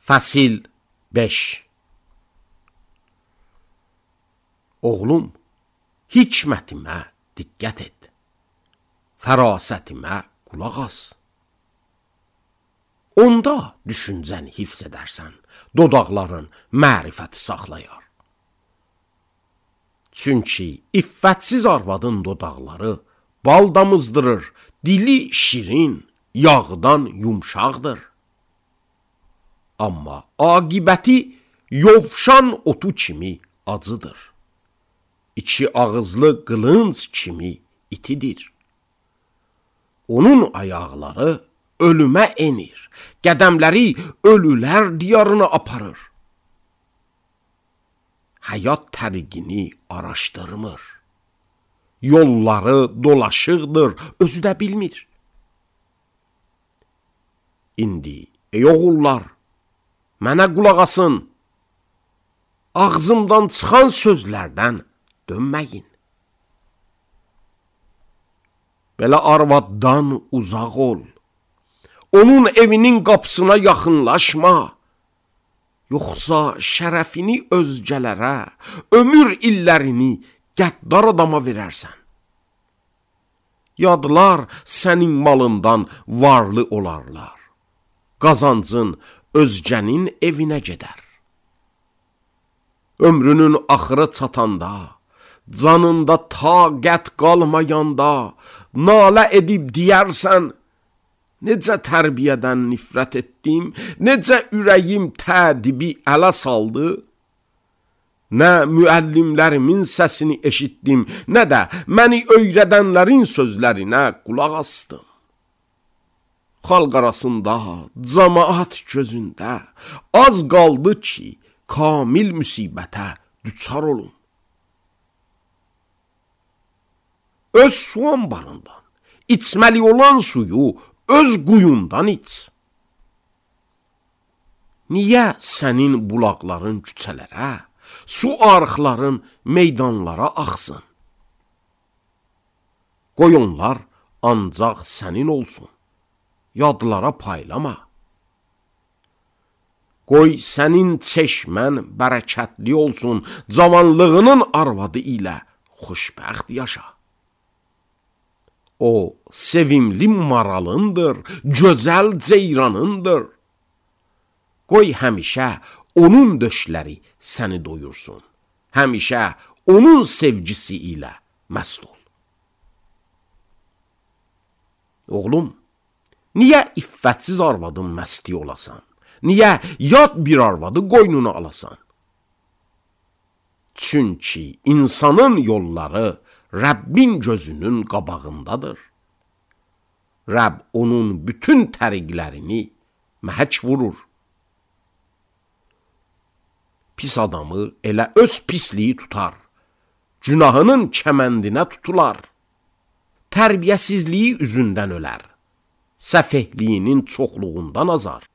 Fəsil 5. Oğlum, hikmətimə diqqət et, fərasətimə qulaq as. Onda düşüncəni hifz edərsən, dodaqların mərifəti saxlayar. Çünki iffətsiz arvadın dodaqları bal damızdırır, dili şirin, yağdan yumşaqdır. Amma aqibəti yovşan otu kimi acıdır. İki ağızlı qılınc kimi itidir. Onun ayaqları ölümə enir, qədəmləri ölülər diyarına aparır. Həyat təriqini araşdırmır. Yolları dolaşıqdır, özü də bilmir. İndi, ey oğullar, mənə qulaq asın, ağzımdan çıxan sözlərdən dönməyin. Belə arvaddan uzaq ol, onun evinin qapısına yaxınlaşma, yoxsa şərəfini özgələrə, ömür illərini qəddar adama verərsən. Yadlar sənin malından varlı olarlar, qazancın özgənin evinə gedər. Ömrünün axırı çatanda, canında taqət qalmayanda, nalə edib deyərsən, necə tərbiyədən nifrət etdim, necə ürəyim tədibi ələ saldı, nə müəllimlərimin səsini eşitdim, nə də məni öyrədənlərin sözlərinə qulaq asdım. Xalq arasında, cəmaət gözündə az qaldı ki, kamil müsibətə düçar olun. Öz su anbarından, içməli olan suyu öz quyundan iç. Niyə sənin bulaqların küçələrə, su arıqların meydanlara axsın? Qoy onlar ancaq sənin olsun, yadlara paylama. Qoy sənin çeşmən bərəkətli olsun, cavanlığının arvadı ilə xoşbəxt yaşa. O, sevimli maralındır, gözəl ceyranındır. Qoy həmişə onun döşləri səni doyursun, həmişə onun sevgisi ilə məst ol. Oğlum, niyə iffətsiz arvadın məsti olasan? Niyə yad bir arvadı qoynuna alasan? Çünki insanın yolları Rəbbin gözünün qabağındadır. Rəbb onun bütün təriqlərini məhək vurur. Pis adamı elə öz pisliyi tutar, günahının kəməndinə tutular. Tərbiyəsizliyi üzündən ölər, səfehliyinin çoxluğundan azar.